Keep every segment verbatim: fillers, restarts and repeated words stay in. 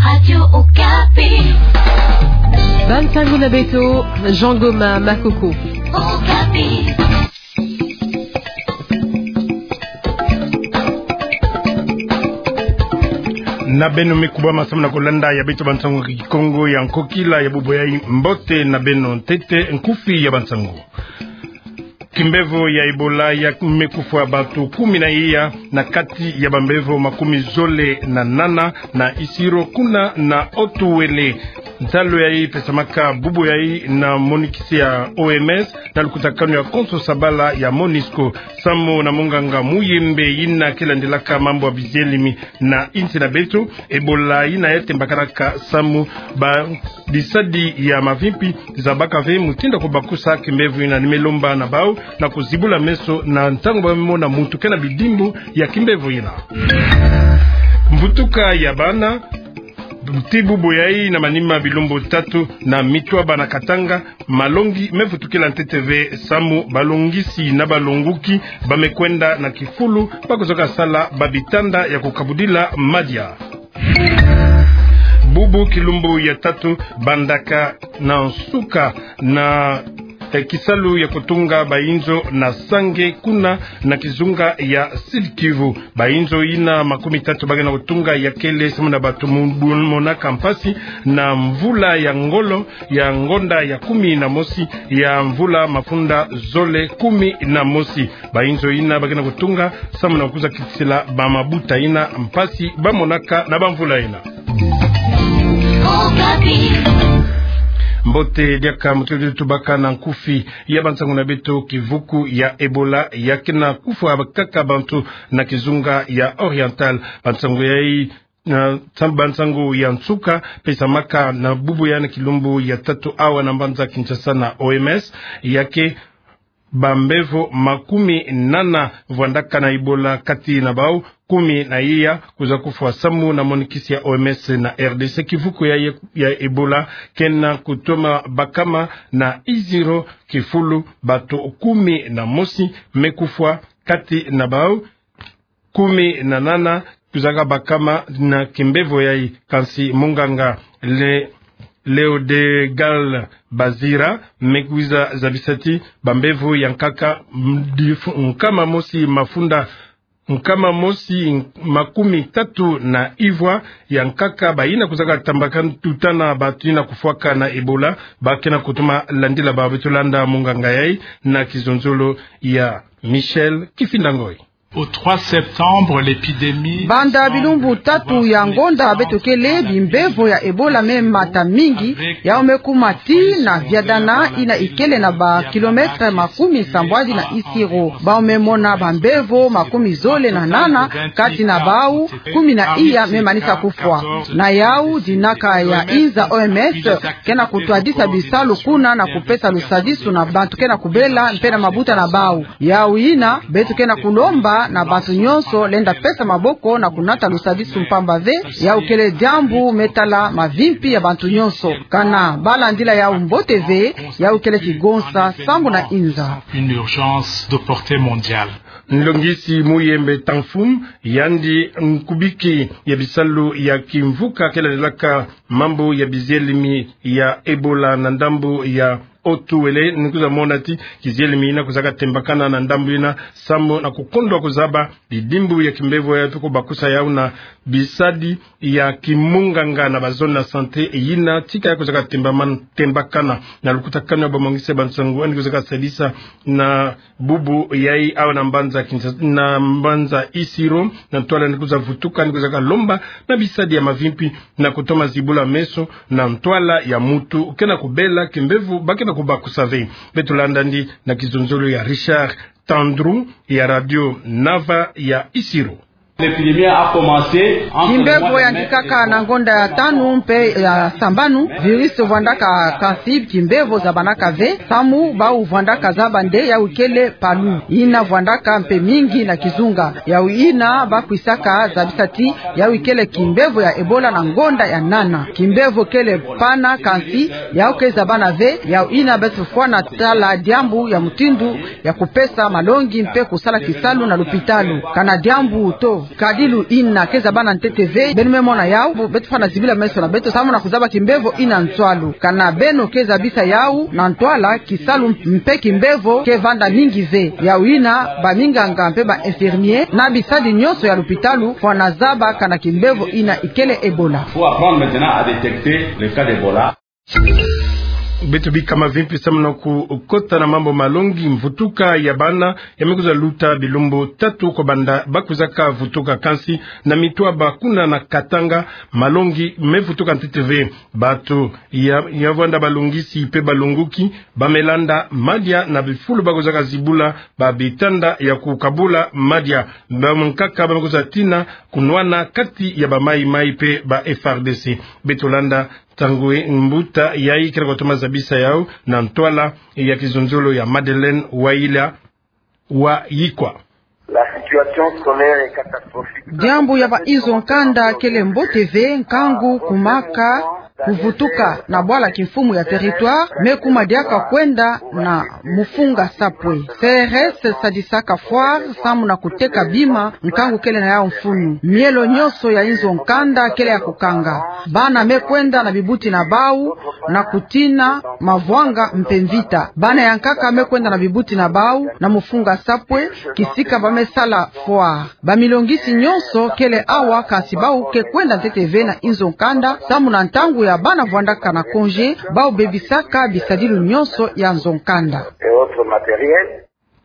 Radio Okapi. Bansango na beto, Jean Goma Makoko. Okapi. Na beno me kubama samu na kolanda ya beto bansango Kikongo ya nkokila ya bubu yai. Mbote na beno. Ntete nkufi ya bansango. Kimbevo ya Ebola ya me kufwa bantu kumi na iya na kati ya bambevo makumi zole na nana na Isiro kuna na Haut-Uélé. Nsalu yai pesamaka bubu yai na monikisi ya O M S na lukutakanu ya konso sabala ya MONUSCO. Samu na munganga Muyembe yina ke landilaka mambu ya bizelimi na insi na beto, Ebola yina ya tembakanaka samu ba bisadi ya mavimpi zabaka ve mutindu ya kubakusa kimbevo yina. Ni me lomba na bau na kuzibula meso na ntangu ba me mona muntu ke na bidimbu ya kimbevo yina. Mvutuka ya bana, ti bubu yai na manima bilumbu tatu na Mitwaba na Katanga, malongi me vutukila ntete ve samu balongisi na balonguki ba me kwenda na kifulu ba kuzaka sala ba bitanda ya kukabudila madia. Bubu kilumbu ya tatu bandaka na nsuka na, eh, kisalu ya kutunga bayinzo na Sange kuna na kizunga ya Sud-Kivu. Bayinzo yina makumi tatu ba ke na kutunga ya kele samu na bantu mu-, bu-, monaka mpasi na mvula ya ngolo ya ngonda ya kumi na mosi ya mvula mafunda zole kumi na mosi. Bayinzo yina ba ke na kutunga samu na kuza kitisila bamabuta yina mpasi ba monaka na bamvula yina. Mbote diaka mutindu tubaka na nkufi ya bansango na beto. Kivuku ya Ebola ya ke na kufwa kaka bantu na kizunga ya Oriental. Bansango yai na, sam-, bansango ya nsuka pesamaka na bubu yai na kilumbu ya tatu awa na mbanza Kinshasa na O M S, ya ke bambevo makumi nana vwandaka na Ebola, kati na bau kumi na iya kuza kufwa samu na monikisi ya O M S na R D C. Kivuku ya, ya Ebola ke na kutoma bakama na Isiro, kifulu bantu kumi na mosi me kufwa, kati na bau kumi na nana kuzaka bakama na kimbevo yai. Kansi munganga Le-, Léodegal Bazira me kwiza zabisa ti bambevo ya nkaka m-, difu-, nkama mosi mafunda, nkama mosi makumi tatu na ivwa ya nkaka bayina kuzaka tambakana tutana bantu yina kufwaka na Ebola, ba ke na kutoma landila bau. Beto landa munganga yai na kizonzolo ya Michel Kifinda Ngoi. Au trois septembre, l'épidémie semble avoir... Banda bilumbu tatu ya ngonda beto kele, bimbevo ya Ebola me mata mingi, yau me kuma ti na Viadana yina ikele na ba kilomètre makumi sambwadi na Isiro. Bau me mona bambevo makumi zole na nana, kati na bau kumi na iya me manisa kufwa. Na yau dinaka ya inza O M S ke na kutwadisa bisalu kuna na kupesa lusadisu na bantu ke na kubela mpe na mabuta na bau. Yau yina, beto ke na kulomba na bantu nyonso lenda pesa maboko na kunata lusadisu mpamba ve, yau kele diambu me tala mavimpi ya bantu nyonso. Kana ba landila yau mbote ve, yau kele kigonsa sambu na inza. Une urgence de portée mondiale. Nlongisi Muyembe Tanfum, yandi nkubiki ya bisalu ya kimvuka ke landilaka mambu ya bizelimi ya Ebola na ndambu ya Haut-Uélé, ni kwiza mona ti kizelimi yina kwizaka tembakana na ndambu yina, sambu na kukondwa kuzaba bidimbu ya kimbevo yai mpe kubakusa yau na bisadi ya kimunganga na ba zone de santé yina tika yai kwizaka temba man-, tembakana. Na lukutakanu ya bamongisi ya bansangu yandi kwizaka sadisa na bubu yai awa na mbanza Kinshasa, na mbanza Isiro, na ntwala yandi kwiza vutuka, yandi kwizaka lomba na bisadi ya mavimpi na kutoma zibula meso na ntwala ya muntu ke na kubela kimbevo ba ke na kubakusa ve. Beto landa yandi na kizonzolo ya Richard Tandrou ya Radio Nava ya Isiro. L'épidémie a commencé entre le mois de mai et... Kimbevo yandikaka na ngonda ya tanu mpe ya sambanu. Virus vwandaka, kansi kimbevo zabanaka ve, samu bau vwandaka zaba nde yau kele palu, yina vwandaka mpe mingi na kizunga. Yau yina ba kwisaka zabisa ti yau kele kimbevo ya Ebola na ngonda ya nana. Kimbevo kele pana, kansi yau ke zabana ve. Yau yina beto fwana tala diambu ya mutindu ya kupesa malongi mpe kusala kisalu na lupitalu. Kana diambu to Kadilu ina ke zaba na ntete ve, beno me mona yau, beto fwana zibila meso na beto samu na kuzaba kimbevo ina ntwalu. Kana beno ke zabisa yau na ntwala, kisalu mpe kimbevo ke vanda mingi ve. Yau ina, baminganga mpe ba infirmier, na bisadi nyonso ya lupitalu, fwana zaba kana kimbevo ina ikele Ebola. Faut apprendre maintenant à détecter le cas d'Ebola. Beto bika mavimpi samu na kukota na mambu malongi. Mvutuka ya bana ya me kwiza luta bilumbu tatu kobanda ba kwizaka vutuka, kansi na mitwaba kuna na Katanga, malongi me vutuka ntete ve. Bato ya, ya vwanda balongisi mpe balonguki, ba me landa madia na bifulu ba kwizaka zibula, ba bitanda ya kukabula madia. Bankaka ba me kwiza tina kunwana kati ya ba maï-maï mpe ba F A R D C. Beto landa ntangu mbuta yayi kele kotoma zabisa yau na ntwala ya kizonzolo ya Madeleine Waila wa Yikwa. La situation scolaire est catastrophique. Diambu ya ba inzo nkanda kele mbote ve, nkangu kumaka kuvutuka na bwala kimfumu ya territoire, me kuma diaka kwenda na Mufunga Sapwe. C R S sadisaka foire samu na kuteka bima, nkangu kele na yau mfunu. Mielo nyonso ya inzo nkanda kele ya kukanga. Bana me kwenda na bibuti na bau na kutina mavwanga mpe mvita. Bana ya nkaka me kwenda na bibuti na bau na Mufunga Sapwe, kisika ba me sala foire. Bamilongisi nyonso kele awa, kansi bau ke kwenda ntete ve na inzo nkanda, samu na ntangu ya bana vwandaka na congé, bau bebisaka bisadilu nyonso ya nzo nkanda.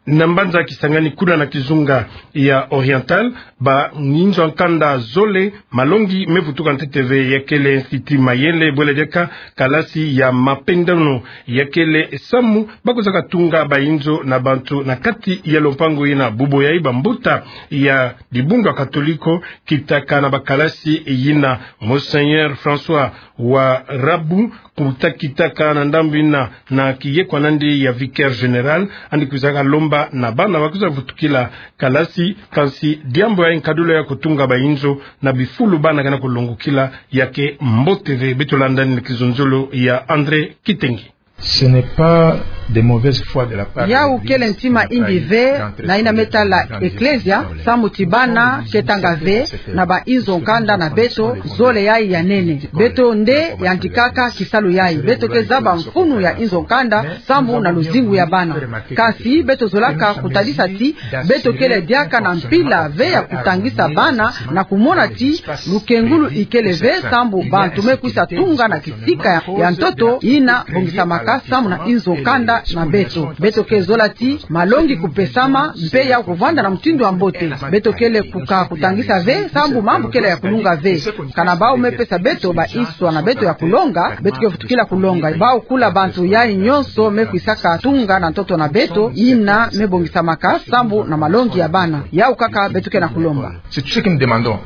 Na mbanza Kisangani, kuna na kizunga ya Oriental, ba inzo nkanda zole, malongi me vutuka ntete ve. Ya kele Institut Mayele, bwele diaka kalasi ya mapendano. Ya kele samu ba kwizaka tunga ba inzo na bantu na kati ya lompango ina. Bubu yayi bambuta ya dibundu ya Katoliko kitaka na bakalasi yina. Monseigneur François Warabu, kuta kitaka na ndambu ina na kiyekwa nandi ya vicaire général, yandi kwizaka lomba na bana ba kwiza vutukila kalasi, kansi diambu ya nkadula ya kutunga ba inzo na bifulu bana kena kulongukila ya ke mbote ve. Beto landa ni kizonzolo ya André Kitenge. Ce n'est pas de mauvaise foi de la part de l'Église. Yau kele ntima imbi ve na ina me tala Eklezia, samu ti bana ke tanga ve na ba inzo nkanda na beto, zole yayi ya nene. Beto nde yandikaka kisalu yayi. Beto ke zaba mfunu ya inzo nkanda samu na luzingu ya bana. Kansi beto zolaka kutadisa ti beto kele diaka na mpila ve ya kutangisa bana na kumona ti lukengulu ikele ve, sambu bantu me kwisa tunga na kisika ya, ya ntoto ina bongisamaka samu na inzo nkanda na beto. Beto ke zola ti malongi kupesama mpe ya kuvwanda na mutindu wa mbote. Beto kele kuka kutangisa ve, sambu mambu kele ya kulunga ve. Kana bau me pesa beto ba iswa na beto ya kulonga, beto ke vutukila kulonga. Bau kula bantu yayi nyonso me kwisaka tunga na ntoto na beto, ina me bongisamaka sambu na malongi ya bana. Yau kaka beto ke na kulomba. C'est tout ce que nous demandons.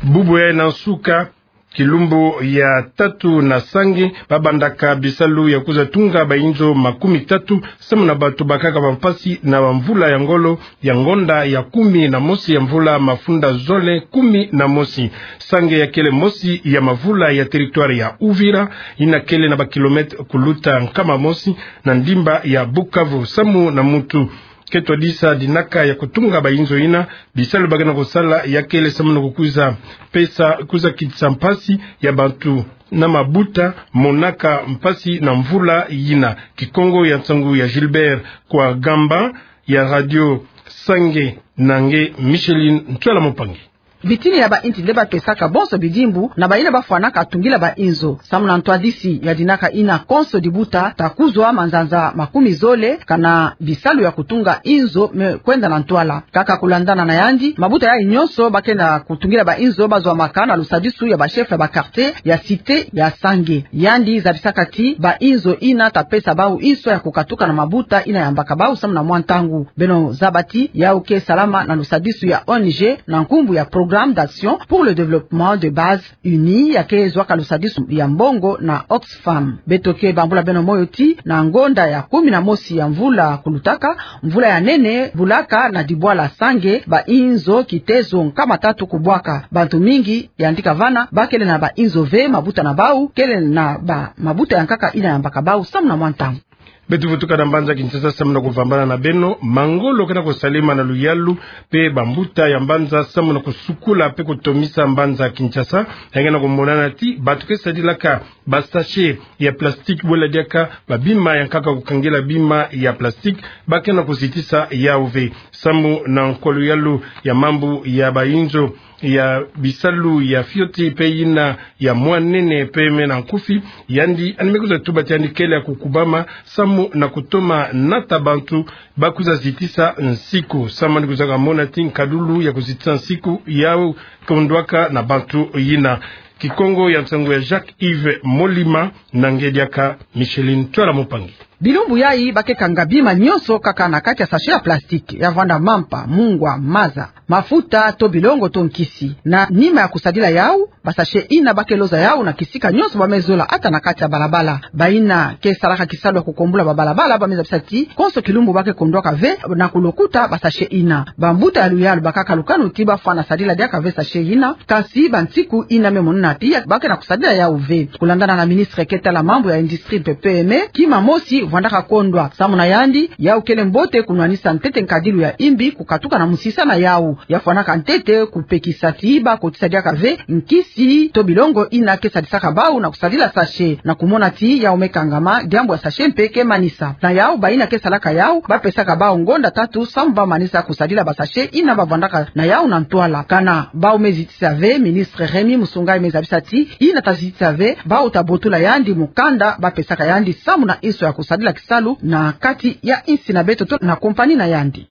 Bubu yayi na nsuka, kilumbu ya tatu na Sange, ba bandaka bisalu ya kwiza tunga ba inzo makumi tatu, samu na bantu bakaka ba mpasi na ba mvula ya ngolo, ya ngonda ya kumi na mosi ya mvula mafunda zole kumi na mosi. Sange ya kele mosi ya mavula ya territoire ya Uvira, ina kele na ba kilomètre kuluta nkama mosi na ndimba ya Bukavu. Samu na muntu ke twadisa dinaka ya kutunga ba inzo ina, bisalu ba kena kusala ya kele samu na kukwiza pesa, kwiza kitisa mpasi ya bantu na mabuta monaka mpasi na mvula ina. Kikongo ya nsangu ya Gilbert Kwagamba ya Radio Sange, na nge Micheline Ntwela Mopangi. Bitini ya ba inti nde ba pesaka bonso bidimbu na ba ina ba fwanaka tungila ba inzo. Samu na ntwadisi ya dinaka ina, konso dibuta ta kuzwa manzanza makumi zole kana bisalu ya kutunga inzo me kwenda na ntwala. Kaka kulandana na yandi, mabuta yayi nyonso ba kena kutungila ba inzo ba zwamaka na lusadisu ya ba chef ya ba quartier ya cité ya Sange. Yandi zabisaka ti ba inzo ina ta pesa bau inso ya kukatuka na mabuta ina yambaka bau samu na mwa ntangu. Beno zaba ti yau ke salama na lusadisu ya O N G na nkumbu ya Programme d'Action pour le Développement de Base Unie, ya ke zwaka lusadisu ya mbongo na Oxfam. Beto ke bambula beno moyo ti na ngonda ya kumi na mosi ya mvula kulutaka, mvula ya nene bulaka na dibwala Sange, ba inzo kitezo nkama tatu kubwaka. Bantu mingi yandika vana ba kele na ba inzo ve, mabuta na bau kele na ba mabuta ya nkaka ina yambaka bau samu na mwa ntangu. Beto vutuka na mbanza Kinshasa samu na kuvambana na beno. Mangolo ke na kusalema na luyalu mpe bambuta ya mbanza samu na kusukula mpe kutomisa mbanza Kinshasa. Yandi ke na kumonana ti bato ke sadilaka basachet ya plastique, bwela diaka babima ya nkaka kukangela bima ya plastique, ba ke na kuzitisa yau ve. Samu na nkolo yalu ya mambu ya bayinzo ya bisalu ya fioti mpe yina ya mwanene mpe me na nkufi, yandi yandi me kwiza tuba ti yandi kele ya kukubama samu na kutoma nata bantu ba kwiza zitisa nsiku. Samu yandi kwizaka mona ti nkadulu ya kuzitisa nsiku yau kondwaka na bantu yina. Kikongo ya nsangu ya Jacques Yves Molima, na nge diaka Micheline Twala Mupangi. Bilumbu yayi ba ke kanga bima nyonso kaka na kati ya sachet ya plastique, ya vanda mampa, mungwa, maza, mafuta, to bilongo, to nkisi. Na nima ya kusadila yau, basachet yina ba ke loza yau na kisika nyonso ba me zola, ata na kati ya balabala. Bayina ke salaka kisalu ya kukombula babalabala ba me zabisa ti konso kilumbu ba ke kondwaka ve na kulokuta basachet yina. Bambuta ya luyalu bakaka lukanu ti ba fwana sadila diaka ve sachet yina, kasi bansiku yina me monana ti ba ke na kusadila yau ve. Kulandana na ministre ke tala mambu ya industrie mpe P M E, kima mosi vandaka kondwa. Samu na yandi, yau kele mbote kunwanisa ntete nkadilu ya yimbi kukatuka na musisa na yau. Ya fwanaka ntete kupekisa ti ba kotisa diaka ve nkisi to bilongo yina ke sadisaka bau na kusadila sachet, na kumona ti yau me kangama, diambu ya sachet mpe ke manisa. Na yau, bayina ke salaka yau ba pesaka bau ngonda tatu samu ba manisa kusadila basachet yina ba vandaka na yau na ntwala. Kana bau me zitisa ve, ministre Remy Musungay me zabisa ti yina ta zitisa ve, bau ta botula yandi mukanda ba pesaka yandi samu na inso ya kusadila kisalu na kati ya insi na beto to na compagnie na yandi.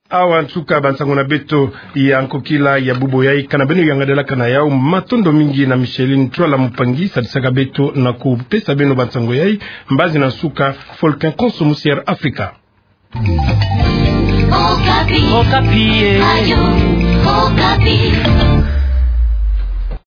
Awa nsuka bansangu na beto ya nkokila ya bubu yayi. Kana beno yangadelaka na yau, matondo mingi na Micheline Twala Mupangi sadisaka beto na kupesa beno bansangu yayi. Mbazi na nsuka, Volcan Konso, Musière Africa. Okapi. Okapi, eh. Radio Okapi.